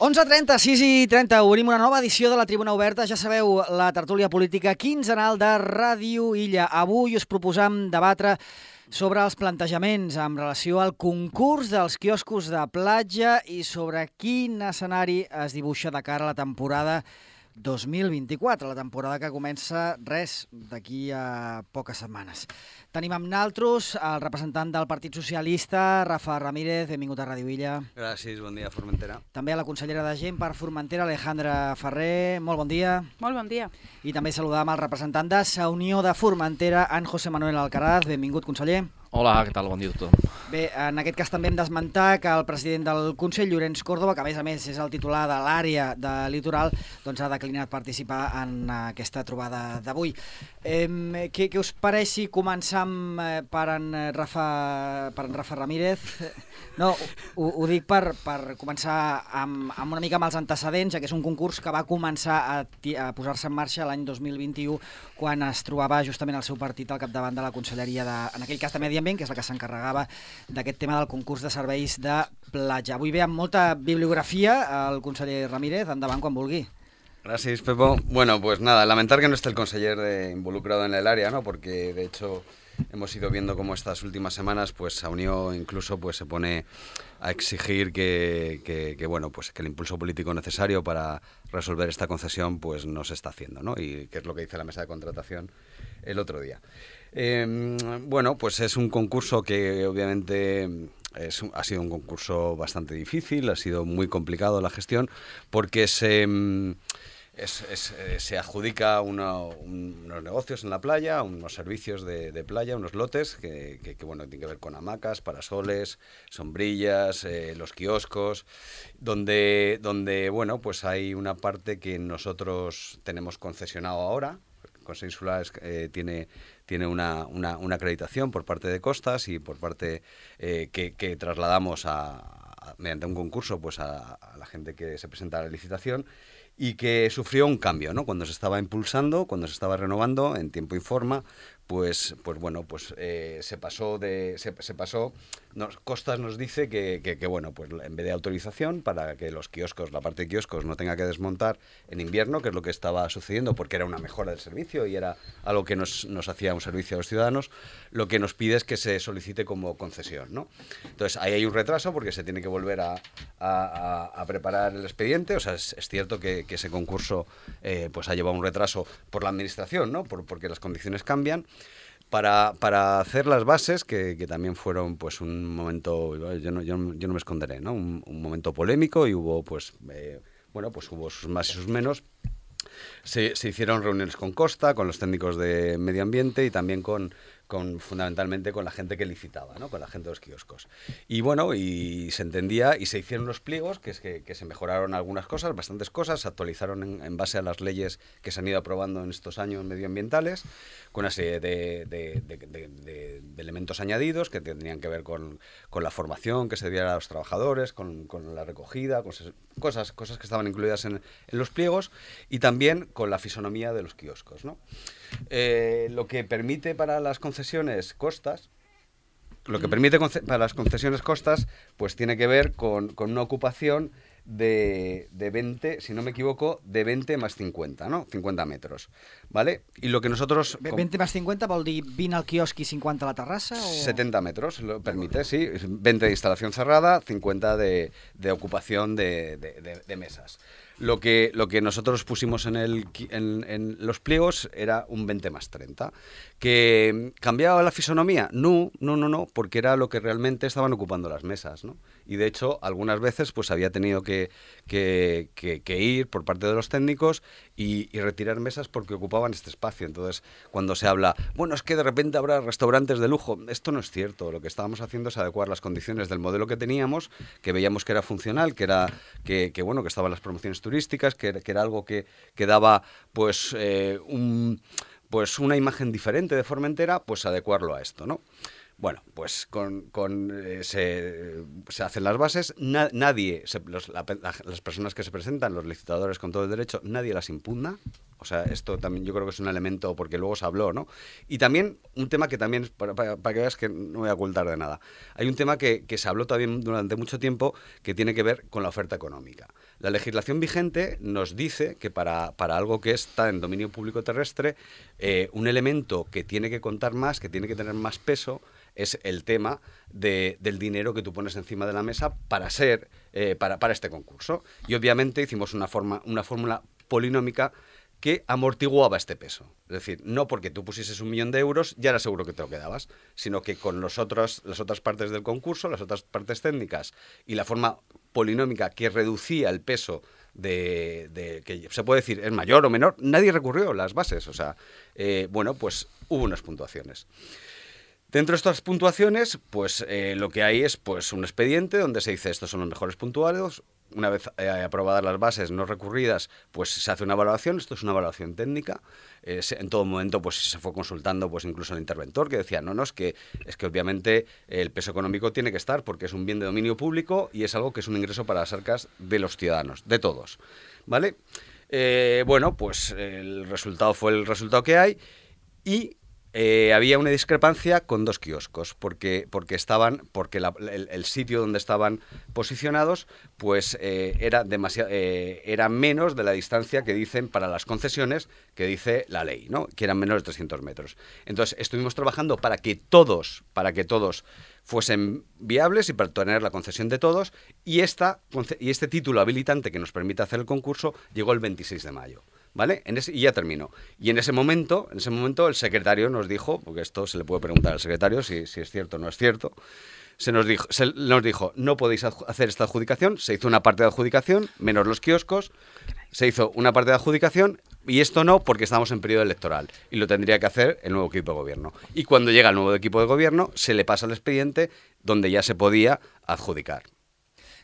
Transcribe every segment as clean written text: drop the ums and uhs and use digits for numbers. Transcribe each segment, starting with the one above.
11:30, 6:30, obrim una nova edició de la Tribuna Oberta. Ja sabeu, la tertúlia política quinzenal de Ràdio Illa. Avui us proposam debatre sobre els plantejaments en relació al concurs dels quioscos de platja i sobre quin escenari es dibuixa de cara a la temporada 2024, la temporada que comença d'aquí a poques setmanes. Tenim amb naltros el representant del Partit Socialista, Rafa Ramírez. Benvingut a Ràdio Illa. Gràcies, bon dia, Formentera. També a la consellera de Gent per Formentera, Alejandra Ferrer. Molt bon dia. Molt bon dia. I també saludam el representant de Sa Unió de Formentera, en José Manuel Alcaraz. Benvingut, conseller. Hola, què tal? Bon dia a tothom. Bé, en aquest cas també hem d'esmentar que el president del Consell, Llorenç Córdoba, que a més és el titular de l'àrea de litoral, doncs ha declinat participar en aquesta trobada d'avui. Què us pareix si començam per en Rafa Ramírez? No, ho dic per començar amb una mica amb els antecedents, ja que és un concurs que va començar a posar-se en marxa l'any 2021, quan es trobava justament el seu partit al capdavant de la Conselleria en aquell cas de Medi Ambient, que és la que s'encarregava d'aquest tema del concurs de serveis de platja. Avui ve amb molta bibliografía el conseller Ramírez. Endavant quan vulgui. Gracias, Pepo. Bueno, pues nada, lamentar que no esté el conseller involucrado en el área, ¿no? Porque de hecho hemos ido viendo cómo estas últimas semanas pues Sa Unió incluso pues se pone a exigir que bueno, pues que el impulso político necesario para resolver esta concesión pues no se está haciendo, ¿no? Y que es lo que dice la mesa de contratación el otro día. Bueno, pues es un concurso que obviamente ha sido un concurso bastante difícil, ha sido muy complicado la gestión porque se adjudica unos negocios en la playa, unos servicios de playa, unos lotes que bueno, tienen que ver con hamacas, parasoles, sombrillas, los kioscos, donde bueno, pues hay una parte que nosotros tenemos concesionado ahora. Consejo Insular tiene una acreditación por parte de Costas y por parte que trasladamos mediante un concurso pues a la gente que se presenta a la licitación, y que sufrió un cambio, ¿no? Cuando se estaba impulsando, cuando se estaba renovando en tiempo y forma, pues bueno, pues se pasó. Costas nos dice que bueno, pues en vez de autorización para que los kioscos, la parte de kioscos no tenga que desmontar en invierno, que es lo que estaba sucediendo porque era una mejora del servicio y era algo que nos hacía un servicio a los ciudadanos, lo que nos pide es que se solicite como concesión, ¿no? Entonces ahí hay un retraso porque se tiene que volver a preparar el expediente. O sea, es cierto que ese concurso pues ha llevado un retraso por la administración, ¿no? Porque las condiciones cambian. Para hacer las bases, que también fueron pues un momento, yo no me esconderé, ¿no? Un momento polémico, y hubo pues bueno, pues hubo sus más y sus menos. Se hicieron reuniones con Costa, con los técnicos de medio ambiente y también fundamentalmente con la gente que licitaba, ¿no? Con la gente de los kioscos. Y bueno, y se entendía, y se hicieron los pliegos, que se mejoraron algunas cosas, bastantes cosas, se actualizaron en base a las leyes que se han ido aprobando en estos años medioambientales, con una serie de elementos añadidos que tendrían que ver con la formación que se diera a los trabajadores, con la recogida, cosas que estaban incluidas en los pliegos, y también con la fisonomía de los kioscos, ¿no? Lo que permite para las concesiones Costas, pues tiene que ver con una ocupación de 20, si no me equivoco, de 20 más 50, ¿no? 50 metros, ¿vale? Y lo que nosotros... 20 más 50 vol dir 20 al quiosc y 50 a la terrassa? O... 70 metros, lo permite, sí. 20 de instalación cerrada, 50 de ocupación de mesas. Lo que nosotros pusimos en los pliegos era un 20 más 30. ¿Que cambiaba la fisonomía? No, porque era lo que realmente estaban ocupando las mesas, ¿no? Y de hecho, algunas veces pues había tenido que ir por parte de los técnicos y retirar mesas porque ocupaban este espacio. Entonces, cuando se habla, bueno, es que de repente habrá restaurantes de lujo, esto no es cierto. Lo que estábamos haciendo es adecuar las condiciones del modelo que teníamos, que veíamos que era funcional, que bueno, que estaban las promociones turísticas, que era algo que daba pues una imagen diferente de Formentera, pues adecuarlo a esto, ¿no? Bueno, pues se hacen las bases, las personas que se presentan, los licitadores con todo el derecho, nadie las impugna, O sea, esto también yo creo que es un elemento, porque luego se habló, ¿no? Y también un tema que también, para que veas que no voy a ocultar de nada, hay un tema que se habló también durante mucho tiempo que tiene que ver con la oferta económica. La legislación vigente nos dice que para algo que está en dominio público terrestre, un elemento que tiene que contar más, que tiene que tener más peso, es el tema del dinero que tú pones encima de la mesa para este concurso. Y obviamente hicimos una fórmula polinómica que amortiguaba este peso. Es decir, no porque tú pusieses 1 millón de euros ya era seguro que te lo quedabas, sino que con las otras partes del concurso, las otras partes técnicas y la forma polinómica que reducía el peso que se puede decir es mayor o menor, nadie recurrió a las bases. O sea, pues hubo unas puntuaciones. Dentro de estas puntuaciones, pues lo que hay es pues un expediente donde se dice estos son los mejores puntuados. Una vez aprobadas las bases no recurridas, pues se hace una evaluación. Esto es una evaluación técnica. En todo momento pues se fue consultando pues incluso al interventor, que decía, es que obviamente el peso económico tiene que estar porque es un bien de dominio público y es algo que es un ingreso para las arcas de los ciudadanos, de todos, ¿vale? Pues el resultado fue el resultado que hay y había una discrepancia con 2 kioscos, porque el sitio donde estaban posicionados pues era menos de la distancia que dicen para las concesiones que dice la ley, ¿no? Que eran menos de 300 metros. Entonces estuvimos trabajando para que todos fuesen viables y para tener la concesión de todos, y este título habilitante que nos permite hacer el concurso llegó el 26 de mayo. ¿Vale? Y ya termino. Y en ese momento el secretario nos dijo, porque esto se le puede preguntar al secretario si es cierto o no es cierto, nos dijo, no podéis hacer esta adjudicación. Se hizo una parte de adjudicación, menos los kioscos, se hizo una parte de adjudicación, y esto no, porque estamos en periodo electoral, y lo tendría que hacer el nuevo equipo de gobierno. Y cuando llega el nuevo equipo de gobierno, se le pasa el expediente donde ya se podía adjudicar.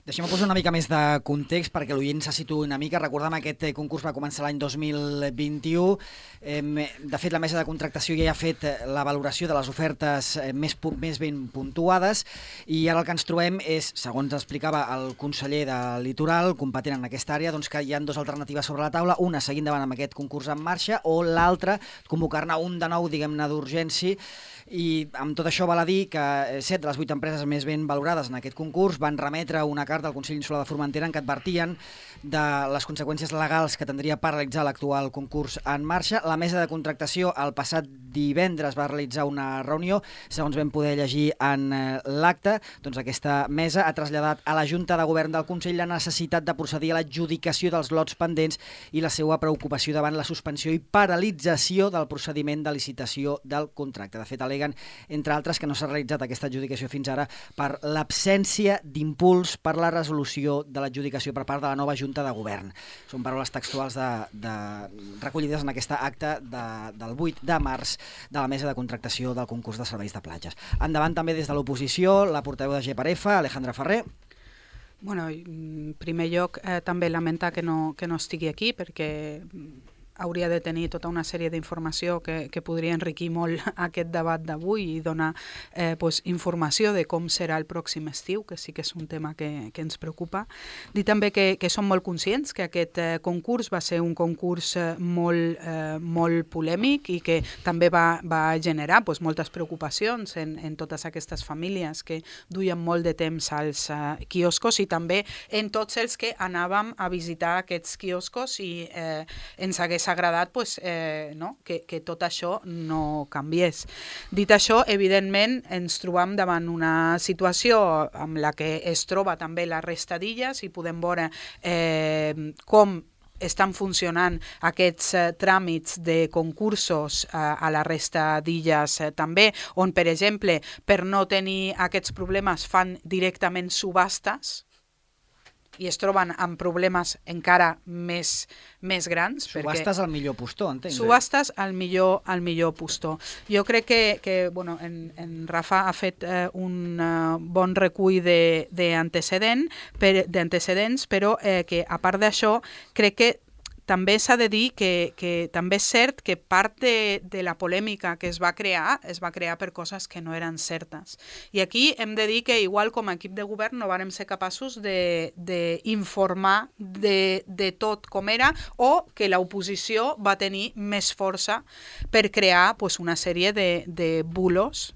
Deixem-me posar una mica més de context perquè l'oient se situï una mica. Recordem que aquest concurs va començar l'any 2021. De fet, la mesa de contractació ja ha fet la valoració de les ofertes més ben puntuades, i ara el que ens trobem és, segons explicava el conseller de Litoral, competent en aquesta àrea, doncs que hi ha 2 alternatives sobre la taula, una seguint davant amb aquest concurs en marxa, o l'altra convocar-ne un de nou, diguem-ne, d'urgència. I amb tot això val a dir que 7 de les 8 empreses més ben valorades en aquest concurs van remetre una carta al Consell Insular de Formentera en què advertien de les conseqüències legals que tindria paralitzar l'actual concurs en marxa. La mesa de contractació el passat divendres va realitzar una reunió. Segons vam poder llegir en l'acte, doncs aquesta mesa ha traslladat a la Junta de Govern del Consell la necessitat de procedir a l'adjudicació dels lots pendents i la seva preocupació davant la suspensió i paralització del procediment de licitació del contracte. De fet, aleguen, entre altres, que no s'ha realitzat aquesta adjudicació fins ara per l'absència d'impuls per la resolució de l'adjudicació per part de la nova Junta de Govern. Són paraules textuals recollides en aquesta acta del 8 de març de la mesa de contractació del concurs de serveis de platges. Endavant també des de l'oposició, la portaveu de GEPAREFA, Alejandra Ferrer. Bueno, en primer lloc, també lamentar que no estigui aquí, perquè hauria de tenir tota una sèrie d'informació que podria enriquir molt aquest debat d'avui i donar informació de com serà el pròxim estiu, que sí que és un tema que ens preocupa. Dir també que som molt conscients que aquest concurs va ser un concurs molt polèmic i que també va generar moltes preocupacions en totes aquestes famílies que duien molt de temps als quioscos i també en tots els que anàvem a visitar aquests quioscos i ens hagués agradat que tot això no canviés. Dit això, evidentment, ens trobam davant una situació amb la que es troba també la resta d'illes i podem veure com estan funcionant aquests tràmits de concursos a la resta d'illes també, on, per exemple, per no tenir aquests problemes fan directament subhastes i es troben amb problemes encara més grans. Subhastes al millor postor, entenc. Subhastes al millor postor. Jo crec que en Rafa ha fet un bon recull d'antecedents, però que a part d'això crec que també s'ha de dir que també és cert que part de la polèmica que es va crear per coses que no eren certes. I aquí hem de dir que igual com a equip de govern no vàrem ser capaços d'informar de tot com era, o que l'oposició va tenir més força per crear una sèrie de bulos,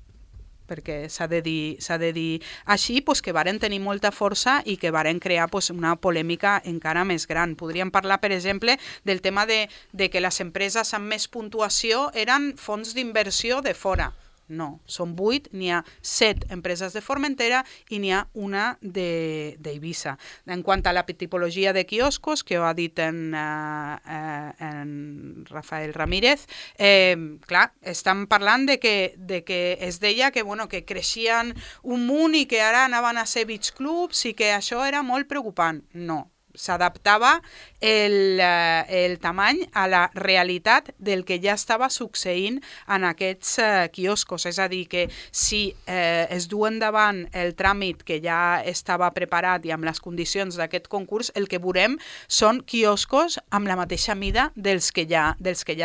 perquè s'ha de dir així, que varen tenir molta força i que varen crear una polèmica encara més gran. Podríem parlar, per exemple, del tema de que les empreses amb més puntuació eren fons d'inversió de fora. No, són 8, n'hi ha 7 empreses de Formentera i n'hi ha una d'Eivissa. En quant a la tipologia de quioscos, que ho ha dit en Rafael Ramírez, clar, estan parlant de que es deia que creixien un munt i que ara anaven a ser beach clubs i que això era molt preocupant. No. S'adaptava el tamany a la realitat del que ja estava succeint en aquests quioscos. És a dir, que si es du endavant el tràmit que ja estava preparat i amb les condicions d'aquest concurs, el que veurem són quioscos amb la mateixa mida dels que ja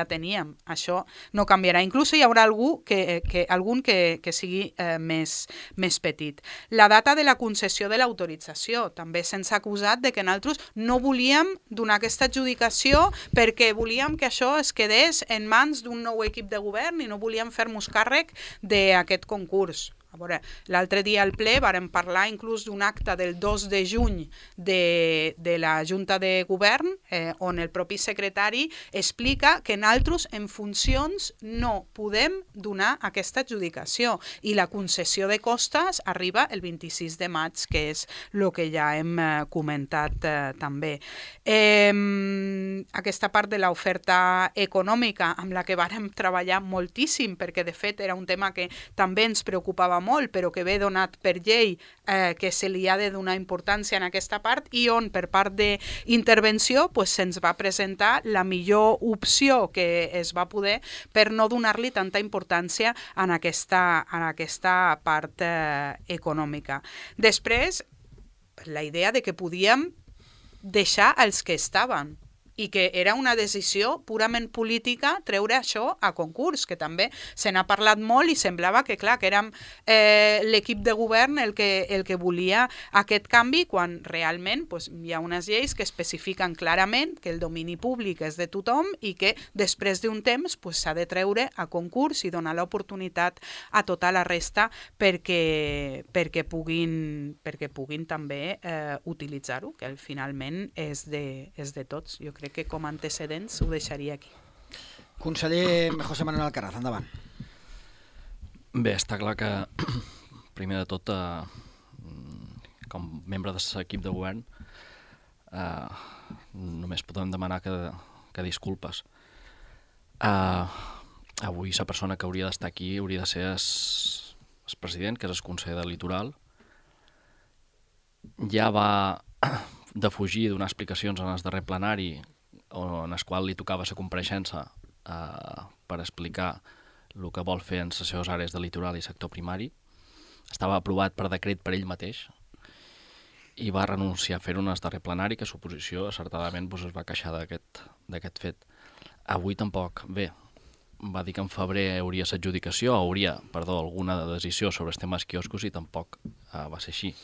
teníem. Això no canviarà. Inclús hi haurà algun que sigui més petit. La data de la concessió de l'autorització. També se'ns ha acusat de que nosaltres no volíem donar aquesta adjudicació perquè volíem que això es quedés en mans d'un nou equip de govern i no volíem fer-nos càrrec d'aquest concurs. A veure, l'altre dia al ple vàrem parlar inclús d'un acte del 2 de juny de la Junta de Govern, on el propi secretari explica que nosaltres en funcions no podem donar aquesta adjudicació i la concessió de costes arriba el 26 de maig, que és el que ja hem comentat també. Aquesta part de l'oferta econòmica amb la que vàrem treballar moltíssim, perquè de fet era un tema que també ens preocupava molt, però que ve donat per llei que se li ha de donar importància en aquesta part i on per part d'intervenció se'ns va presentar la millor opció que es va poder per no donar-li tanta importància en aquesta part econòmica. Després, la idea de que podíem deixar els que estaven i que era una decisió purament política treure això a concurs, que també se n'ha parlat molt i semblava que, clar, que érem l'equip de govern el que volia aquest canvi, quan realment hi ha unes lleis que especifiquen clarament que el domini públic és de tothom i que després d'un temps s'ha de treure a concurs i donar l'oportunitat a tota la resta perquè puguin també utilitzar-ho, que finalment és de tots. Jo crec que com a antecedents ho deixaria aquí. Conseller José Manuel Alcaraz, endavant. Bé, està clar que, primer de tot, com membre de l'equip de govern, només podem demanar que disculpes. Avui la persona que hauria d'estar aquí hauria de ser el president, que és el conseller del Litoral. Ja va defugir donar explicacions en el darrer plenari en el qual li tocava la compareixença per explicar el que vol fer en les seves àrees de litoral i sector primari. Estava aprovat per decret per ell mateix i va renunciar a fer-ho en el darrer plenari, que l'oposició acertadament es va queixar d'aquest fet. Avui tampoc. Bé, va dir que en febrer hauria l'adjudicació, alguna decisió sobre els temes quioscos, i tampoc va ser així.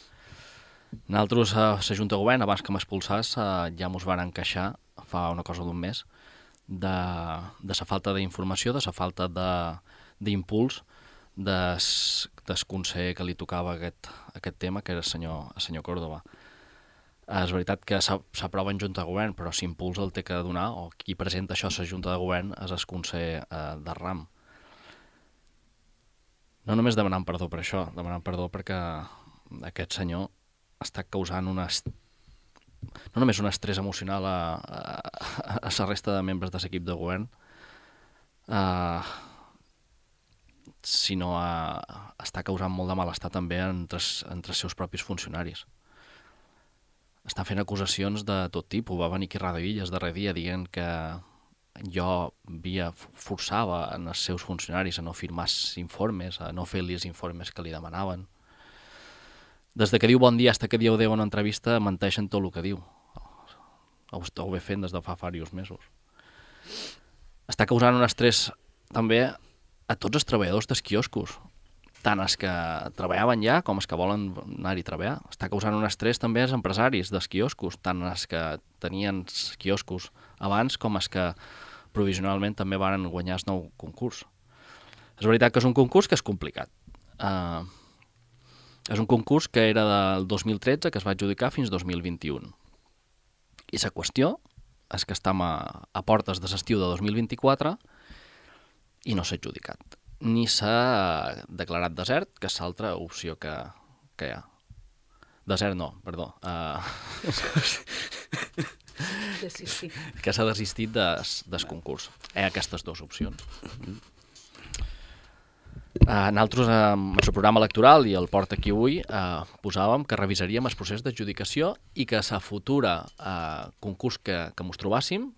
Nosaltres, a la Junta de Govern, abans que m'expulsàs, ja ens van queixar fa una cosa d'un mes de la falta d'informació, de la falta d'impuls del conseller que li tocava aquest tema, que era el senyor Córdoba. És veritat que s'aprova en Junta de Govern, però s'impuls el té que donar, o qui presenta això a la Junta de Govern és el conseller de RAM. No només demanant perdó per això, demanant perdó perquè aquest senyor està causant no només un estrès emocional a la resta de membres de l'equip de govern, sinó està causant molt de malestar també entre els seus propis funcionaris. Està fent acusacions de tot tipus. Va venir aquí a Ràdio Illes darrer dia dient que jo forçava en els seus funcionaris a no firmar informes, a no fer-li els informes que li demanaven. Des que diu bon dia fins que diu adéu en una entrevista, menteixen tot el que diu. ho esteu bé fent des de fa diversos mesos. Està causant un estrès també a tots els treballadors dels quioscos, tant els que treballaven ja com els que volen anar-hi a treballar. Està causant un estrès també als empresaris dels quioscos, tant els que tenien quioscos abans com els que provisionalment també van guanyar el nou concurs. És veritat que és un concurs que és complicat. És un concurs que era del 2013, que es va adjudicar fins 2021. I la qüestió és que estem a portes de l'estiu de 2024 i no s'ha adjudicat. Ni s'ha declarat desert, que és l'altra opció que hi ha. Desert no, perdó. Desistir. Que s'ha desistit del concurs. Hi ha aquestes dues opcions. Nosaltres, en el programa electoral i el Porta aquí avui, posàvem que revisaríem el procés d'adjudicació i que a la futura concurs que ens trobàssim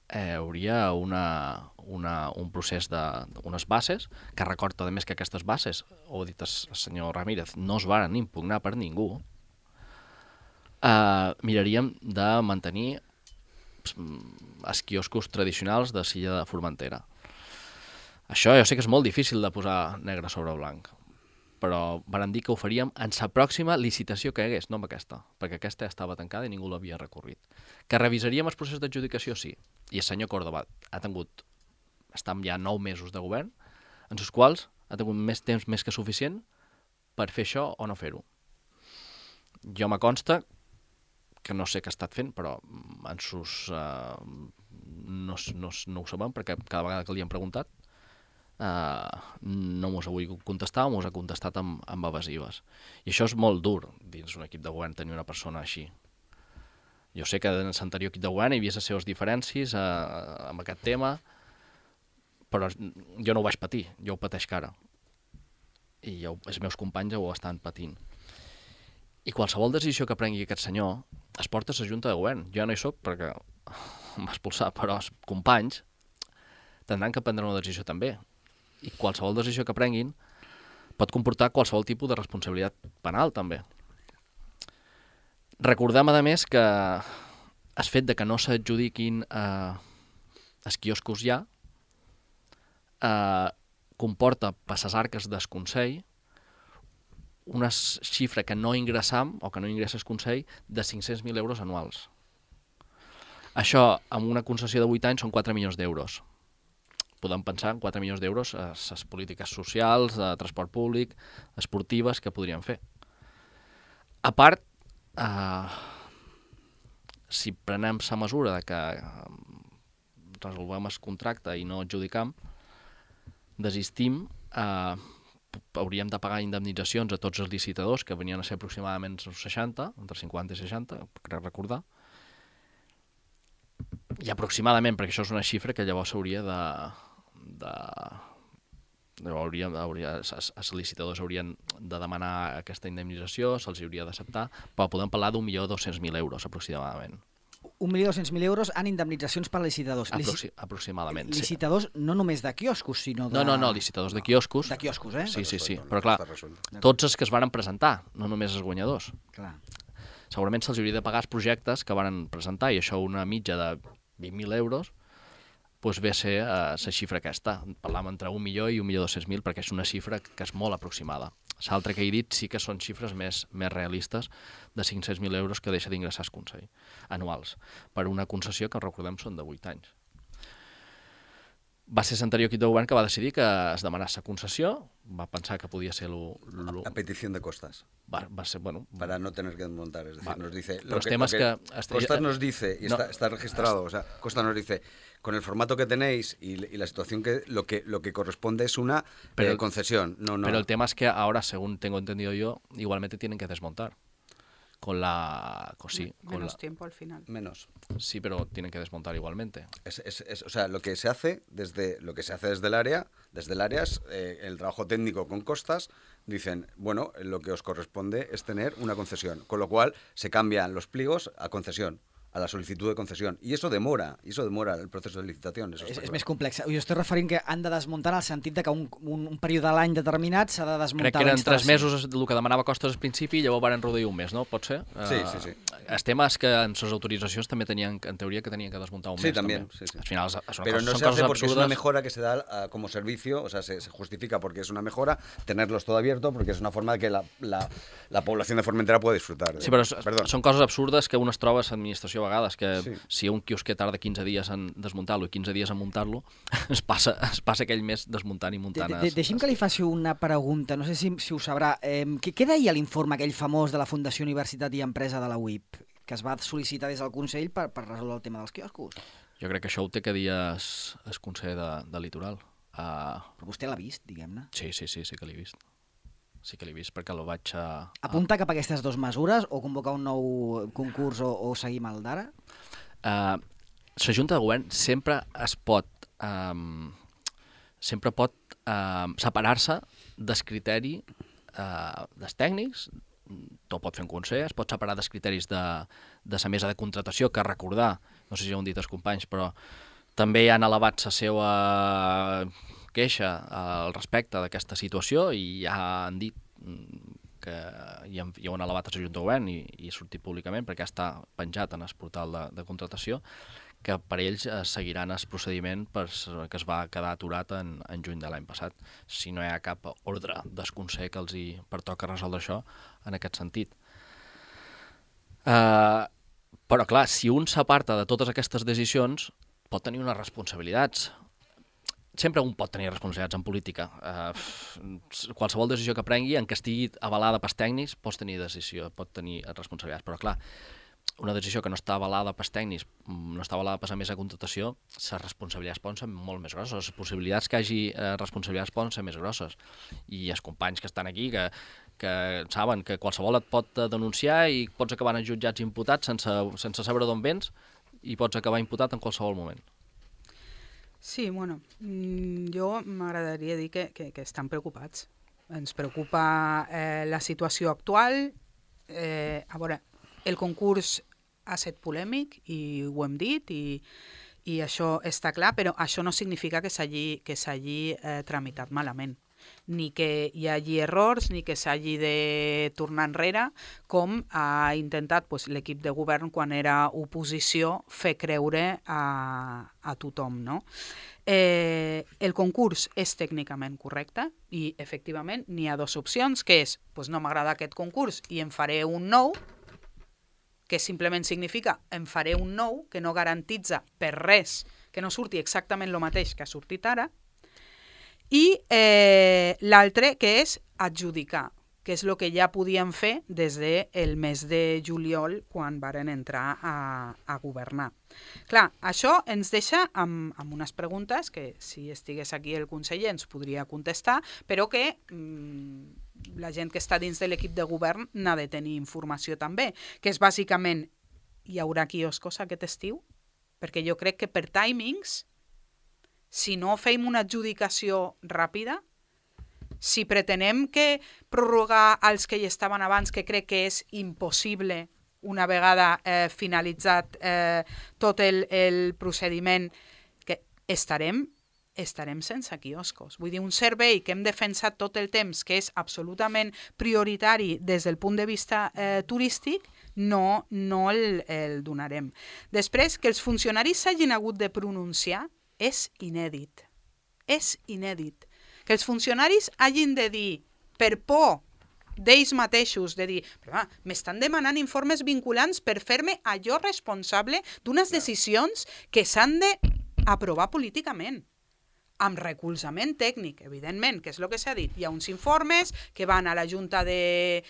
hauria un procés d'unes bases, que recorda a més que aquestes bases, ho ha dit el senyor Ramírez, no es varen impugnar per ningú. Miraríem de mantenir els quioscos tradicionals de Silla de Formentera. Això jo sé que és molt difícil de posar negre sobre blanc, però varen dir que ho faríem en la pròxima licitació que hi hagués, no amb aquesta, perquè aquesta ja estava tancada i ningú l'havia recorrit. Que revisaríem el procés d'adjudicació, sí. I el senyor Córdoba ha tingut, estem ja 9 mesos de govern, en els quals ha tingut més temps més que suficient per fer això o no fer-ho. Jo me consta que no sé què ha estat fent, però en sus, no ho sabem, perquè cada vegada que li hem preguntat no mos ha volgut contestar o mos ha contestat amb evasives. I això és molt dur dins un equip de govern tenir una persona així. Jo sé que en l'anterior equip de govern hi havia les seves diferències amb aquest tema, però jo no ho vaig patir, jo ho pateix ara. I els meus companys ho estan patint. I qualsevol decisió que prengui aquest senyor es porta a la Junta de Govern. Jo no hi soc perquè em va expulsar, però els companys tindran que prendre una decisió també. I qualsevol decisió que prenguin pot comportar qualsevol tipus de responsabilitat penal també. Recordem, a més, que el fet de que no s'adjudiquin els quioscos ja comporta per les arques del Consell una xifra que no ingressam o que no ingressa el Consell de 500.000 euros anuals. Això, amb una concessió de 8 anys, són 4 milions d'euros. Podem pensar en 4 milions d'euros a les polítiques socials, de transport públic, esportives, que podríem fer. A part, si prenem la mesura de que resolvem el contracte i no adjudicam, desistim, hauríem de pagar indemnitzacions a tots els licitadors, que venien a ser aproximadament 60, entre 50 i 60, crec recordar, i aproximadament, perquè això és una xifra que llavors s'hauria els licitadors haurien de demanar aquesta indemnització, se'ls hauria d'acceptar, però podem parlar d'1.200.000 euros aproximadament. 1.200.000 euros en indemnitzacions per licitadors. Aproximadament. Licitadors no només de quioscos, sinó de... No, licitadors de quioscos. De quioscos, eh? Sí. Però clar, tots els que es van presentar, no només els guanyadors. Clar. Segurament se'ls hauria de pagar els projectes que van presentar, i això una mitja de 20.000 euros, doncs ve a ser la xifra aquesta. Parlàvem entre 1 milió i 1.200.000, perquè és una xifra que és molt aproximada. L'altre que he dit sí que són xifres més realistes de 500.000 euros que deixa d'ingressar el Consell anuals, per una concessió que, recordem, són de 8 anys. Va ser l'anterior equip de govern que va decidir que es demanés la concessió, va pensar que podia ser a petición de Costas. Va ser, bueno... Para no tener que desmontar, es decir, nos dice... Costas nos dice, y está registrado, o sea, Costas nos dice, con el formato que tenéis y la situación que lo que corresponde es una concesión. No. Pero el tema es que ahora, según tengo entendido yo, igualmente tienen que desmontar. Menos tiempo al final. Menos. Sí, pero tienen que desmontar igualmente. O sea, lo que se hace desde el área es el trabajo técnico con Costas. Dicen, bueno, lo que os corresponde es tener una concesión, con lo cual se cambian los pliegos a concesión. a la solicitud de concesión. Y eso demora el proceso de licitación. Eso és més complex. Jo estic referint que han de desmuntar en el sentit de que un període de l'any determinat s'ha de desmuntar. Crec que eren 3 mesos el que demanava Costes al principi i llavors van reduir un mes, no? Pot ser? Sí. El tema és que en les autoritzacions també tenien, en teoria, que tenien que desmuntar un mes. También. Sí. Al final pero no son se hace cosas porque absurdas. es una mejora que se da como servicio, o sea, se justifica porque es una mejora tenerlos todo abierto porque es una forma de que la población de Formentera pueda disfrutar. Sí, però són coses absurdes que un es troba a l'administració a vegades, que si un quiosquer tarda 15 dies en desmuntar-lo i 15 dies en muntar-lo, es passa aquell mes desmuntant i muntant. Deixi'm que li faci una pregunta, no sé si ho sabrà. Què deia l'informe aquell famós de la Fundació Universitat i Empresa de la UIP, que es va sol·licitar des del Consell per resoldre el tema dels quioscos? Jo crec que això ho té que dir el Consell de Litoral. Però vostè l'ha vist, diguem-ne? Sí que l'he vist. Sí que l'he vist perquè lo vaig... Apunta cap a aquestes dues mesures o convocar un nou concurs o seguir amb el d'ara? La Junta de Govern sempre pot separar-se del criteri dels tècnics, tot pot fer un consell, es pot separar dels criteris de la mesa de contratació, que recordar, no sé si ho han dit els companys, però també han elevat la seva queixa al respecte d'aquesta situació i ja han dit que ja ho han elevat a la Junta de Govern i sortit públicament perquè està penjat en el portal de contratació, que per ells seguiran el procediment que es va quedar aturat en juny de l'any passat, si no hi ha cap ordre del Consell que els hi pertoca resoldre això en aquest sentit. Però clar, si un s'aparta de totes aquestes decisions pot tenir unes responsabilitats. Sempre un pot tenir responsabilitats en política. Qualsevol decisió que prengui, en què estigui avalada pels tècnics, pot tenir responsabilitats. Però clar, una decisió que no està avalada pels tècnics, no està avalada per la mesa de contratació, les responsabilitats poden ser molt més grosses. Les possibilitats que hi hagi responsabilitats poden ser més grosses. I els companys que estan aquí, que saben que qualsevol et pot denunciar i pots acabar en jutjats imputats sense saber d'on vens i pots acabar imputat en qualsevol moment. Sí, bueno, jo m'agradaria dir que estan preocupats. Ens preocupa la situació actual. A veure, el concurs ha estat polèmic i ho hem dit i això està clar, però això no significa que s'hagi tramitat malament, ni que hi hagi errors, ni que s'hagi de tornar enrere, com ha intentat l'equip de govern quan era oposició fer creure a tothom, no? El concurs és tècnicament correcte i, efectivament, n'hi ha dues opcions, que és, no m'agrada aquest concurs i en faré un nou, que simplement significa en faré un nou, que no garantitza per res que no surti exactament el mateix que ha sortit ara, i l'altre, que és adjudicar, que és el que ja podíem fer des del mes de juliol quan varen entrar a governar. Clar, això ens deixa amb unes preguntes que, si estigués aquí el conseller, ens podria contestar, però que la gent que està dins de l'equip de govern n'ha de tenir informació també, que és bàsicament, hi haurà quioscos aquest estiu? Perquè jo crec que per timings, si no fem una adjudicació ràpida, si pretenem que prorrogar els que hi estaven abans, que crec que és impossible una vegada finalitzat tot el procediment, que estarem sense quioscos. Vull dir, un servei que hem defensat tot el temps, que és absolutament prioritari des del punt de vista turístic, no el donarem. Després, que els funcionaris s'hagin hagut de pronunciar és inèdit. És inèdit. Que els funcionaris hagin de dir, per por d'ells mateixos, de dir, m'estan demanant informes vinculants per fer-me allò responsable d'unes decisions que s'han d'aprovar políticament, amb recolzament tècnic, evidentment, que és el que s'ha dit. Hi ha uns informes que van a la Junta de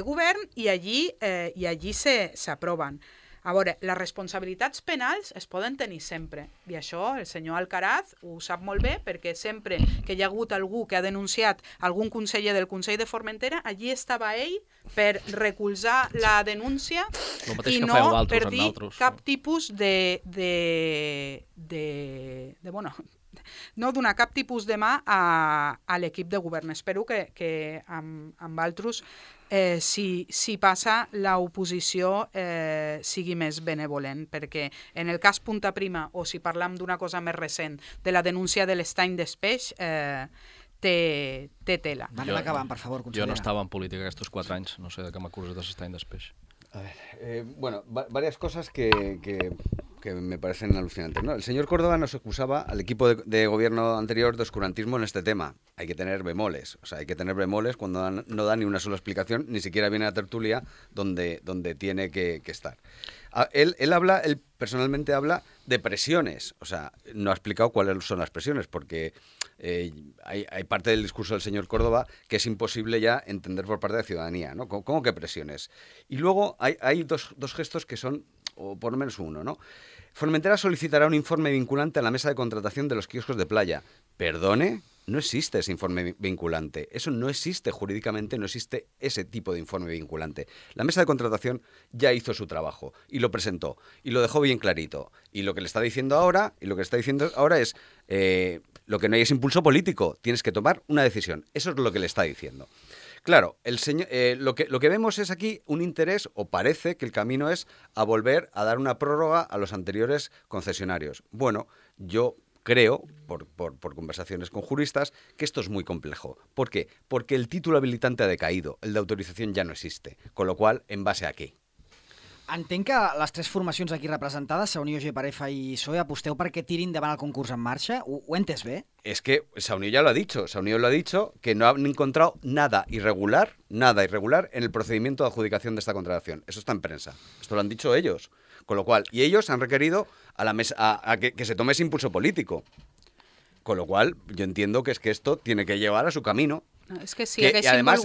Govern i allí s'aproven. A veure, les responsabilitats penals es poden tenir sempre, i això el senyor Alcaraz ho sap molt bé, perquè sempre que hi ha hagut algú que ha denunciat algun conseller del Consell de Formentera, allí estava ell per recolzar la denúncia i no per dir cap tipus no donar cap tipus de mà a l'equip de govern. Espero que amb altres si passa l'oposició sigui més benevolent, perquè en el cas Punta Prima, o si parlam d'una cosa més recent, de la denúncia de l'estany d'Espeix, té tela. Anem acabant, per favor, consellera. Jo no estava en política aquests 4 anys, no sé de què m'acuses de l'estany d'Espeix. A ver, bueno, varias cosas que me parecen alucinantes, ¿no? El señor Córdoba nos acusaba al equipo de gobierno anterior de oscurantismo en este tema. Hay que tener bemoles, o sea, hay que tener bemoles cuando no da ni una sola explicación, ni siquiera viene a la tertulia donde tiene que estar. Él personalmente habla de presiones, o sea, no ha explicado cuáles son las presiones, porque hay parte del discurso del señor Córdoba que es imposible ya entender por parte de la ciudadanía, ¿no? ¿Cómo que presiones? Y luego hay dos gestos que son, o por lo menos uno, ¿no? Formentera solicitará un informe vinculante a la mesa de contratación de los kioscos de playa. Perdone, no existe ese informe vinculante. Eso no existe jurídicamente, no existe ese tipo de informe vinculante. La mesa de contratación ya hizo su trabajo y lo presentó y lo dejó bien clarito. Y lo que le está diciendo ahora, es lo que no hay es impulso político. Tienes que tomar una decisión. Eso es lo que le está diciendo. Claro, lo que vemos es aquí un interés, o parece que el camino es a volver a dar una prórroga a los anteriores concesionarios. Bueno, yo creo, por conversaciones con juristas, que esto es muy complejo. ¿Por qué? Porque el título habilitante ha decaído, el de autorización ya no existe. Con lo cual, ¿en base a qué? Entenc que les 3 formacions aquí representades, Saunió, Geparefa i PSOE, aposteu perquè tirin endavant el concurs en marxa. Ho he entès bé? Es que Saunió ya lo ha dicho. Saunió lo ha dicho que no han encontrado nada irregular en el procedimiento de adjudicación de esta contratación. Eso está en prensa. Esto lo han dicho ellos. Con lo cual, y ellos han requerido a la mesa a que se tome ese impulso político. Con lo cual, yo entiendo que es que esto tiene que llevar a su camino. Es que si además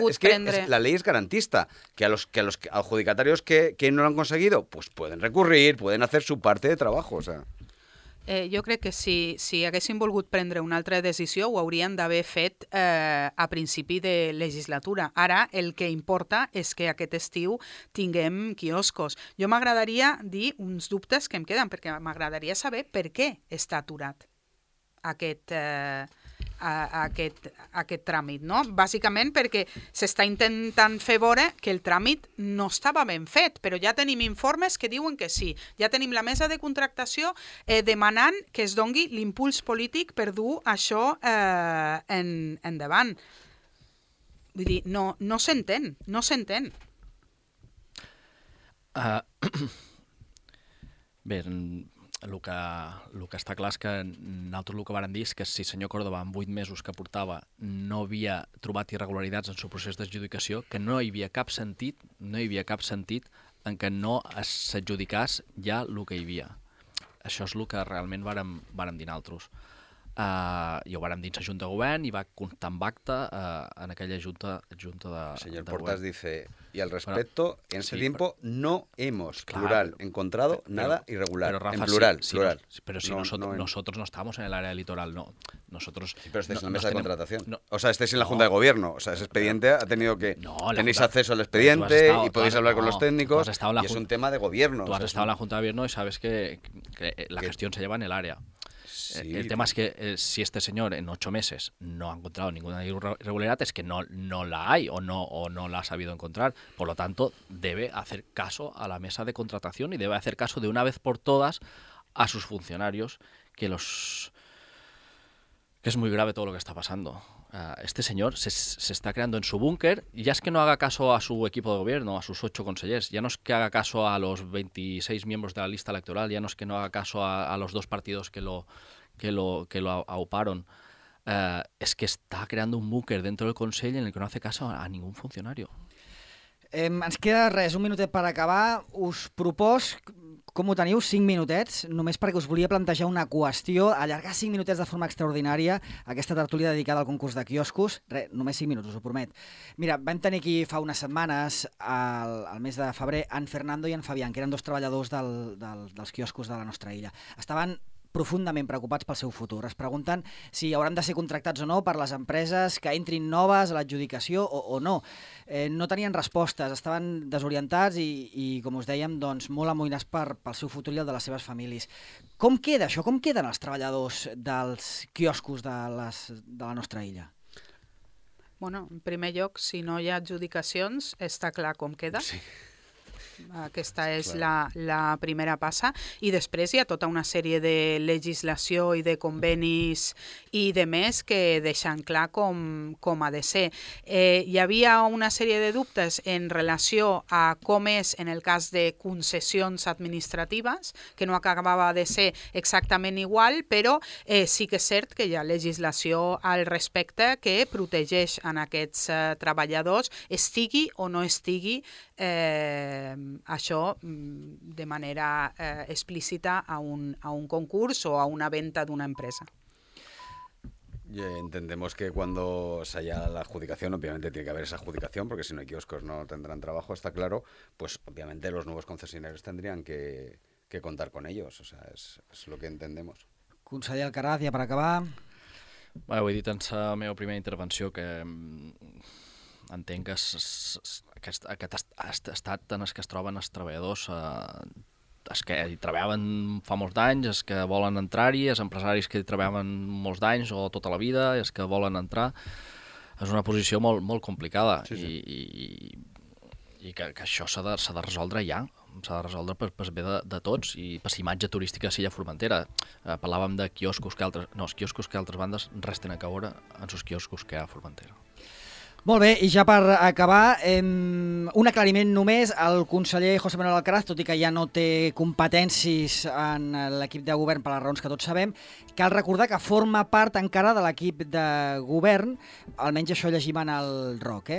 la ley es garantista, que a los adjudicatarios que no lo han conseguido, pues pueden recurrir, pueden hacer su parte de trabajo, o sea. Jo crec que si haguessin volgut prendre una altra decisió ho haurien d'haver fet a principi de legislatura. Ara el que importa és que aquest estiu tinguem quioscos. Jo m'agradaria dir uns dubtes que em queden, perquè m'agradaria saber per què està aturat aquest tràmit, no? Bàsicament perquè s'està intentant fer veure que el tràmit no estava ben fet, però ja tenim informes que diuen que sí. Ja tenim la mesa de contractació demanant que es dongui l'impuls polític per dur això endavant. Vull dir, no s'entén. Bé, el que està clar és que nosaltres el que vàrem dir és que si el senyor Córdoba en 8 mesos que portava no havia trobat irregularitats en el procés d'adjudicació, que no hi havia cap sentit en què no s'adjudicàs ja el que hi havia. Això és el que realment vàrem dir nosaltres. I ho vàrem dir a la Junta de Govern i va constar amb acte en aquella Junta de El señor Portas dice, y al respecto, en ese tiempo no hemos, plural, encontrado nada irregular. Pero, Rafa, en plural, sí, plural. Pero si nosotros no estamos en el área litoral, no. Nosotros... Sí, pero estáis en la mesa de contratación. O sea, estáis en la Junta de Gobierno. O sea, ese expediente ha tenido que... tenéis acceso al expediente y podéis hablar con los técnicos. Y es un tema de gobierno. Tú has estado en la Junta de Gobierno y sabes que la gestión se lleva en el área. Sí, el tema es que si este señor en 8 meses no ha encontrado ninguna irregularidad es que no la hay o no la ha sabido encontrar. Por lo tanto, debe hacer caso a la mesa de contratación y debe hacer caso de una vez por todas a sus funcionarios, que es muy grave todo lo que está pasando. Este señor se está creando en su búnker, y ya es que no haga caso a su equipo de gobierno, a sus 8 consellers, ya no es que haga caso a los 26 miembros de la lista electoral, ya no es que no haga caso a los 2 partidos que lo auparon. Es que está creando un búnker dentro del Consell en el que no hace caso a ningún funcionario. Ens queda res, un minutet per acabar. Us propos, com ho teniu, 5 minutets, només perquè us volia plantejar una qüestió, allargar 5 minutets de forma extraordinària aquesta tertúlia dedicada al concurs de quioscos. Res, només 5 minuts, us ho promet. Mira, vam tenir aquí fa unes setmanes, al mes de febrer, en Fernando i en Fabián, que eren 2 treballadors dels quioscos de la nostra illa. Estaven profundament preocupats pel seu futur. Es pregunten si hauran de ser contractats o no per les empreses que entrin noves a l'adjudicació o no. No tenien respostes, estaven desorientats i com us dèiem, doncs, molt amoïnats pel seu futur i el de les seves famílies. Com queda això? Com queden els treballadors dels quioscos de la nostra illa? Bueno, en primer lloc, si no hi ha adjudicacions, està clar com queda. Sí. Aquesta és la primera passa, i després hi ha tota una sèrie de legislació i de convenis i de més que deixen clar com ha de ser. Hi havia una sèrie de dubtes en relació a com és en el cas de concessions administratives, que no acabava de ser exactament igual, però sí que és cert que hi ha legislació al respecte que protegeix en aquests treballadors, estigui o no estigui això de manera explícita a un concurs o a una venta d'una empresa. Entendemos que cuando se haya la adjudicación, obviamente tiene que haber esa adjudicación, porque si no hay kioscos no tendrán trabajo, está claro, pues obviamente los nuevos concesionarios tendrían que contar con ellos, o sea, es lo que entendemos. Conseller Alcaraz, ja per acabar. Bé, ho he dit en la meva primera intervenció que entenc que aquest estat en el que es troben els treballadors, els que hi treballaven fa molts d'anys, els que volen entrar-hi, els empresaris que hi treballaven molts d'anys o tota la vida, els que volen entrar, és una posició molt, molt complicada. Sí. I que això s'ha de resoldre ja, s'ha de resoldre per bé de tots i per la imatge turística de l'illa Formentera. Parlàvem de quioscos que altres... No, els quioscos que altres bandes resten a caure en els quioscos que hi ha a Formentera. Molt bé, i ja per acabar, un aclariment només. El conseller José Manuel Alcaraz, tot i que ja no té competències en l'equip de govern per les raons que tots sabem, cal recordar que forma part encara de l'equip de govern, almenys això llegim en el ROC.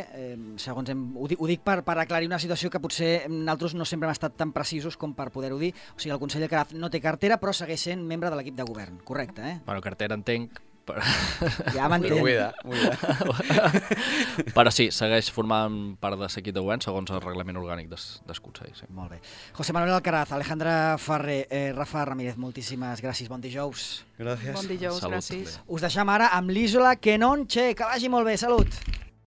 Segons ho dic per aclarir una situació que potser nosaltres no sempre hem estat tan precisos com per poder-ho dir. O sigui, el conseller Alcaraz no té cartera, però segueix sent membre de l'equip de govern, correcte, eh? Bueno, cartera entenc, ja m'entenc. Però sí, segueix formant part de l'equip de govern segons el reglament orgànic del Consell. Sí. Molt bé. José Manuel Alcaraz, Alejandra Ferrer, Rafa Ramírez, moltíssimes gràcies. Bon dijous. Gràcies. Bon dijous, Salut, gràcies. Us deixam ara amb l'Isola Que Non Che. Que vagi molt bé. Salut.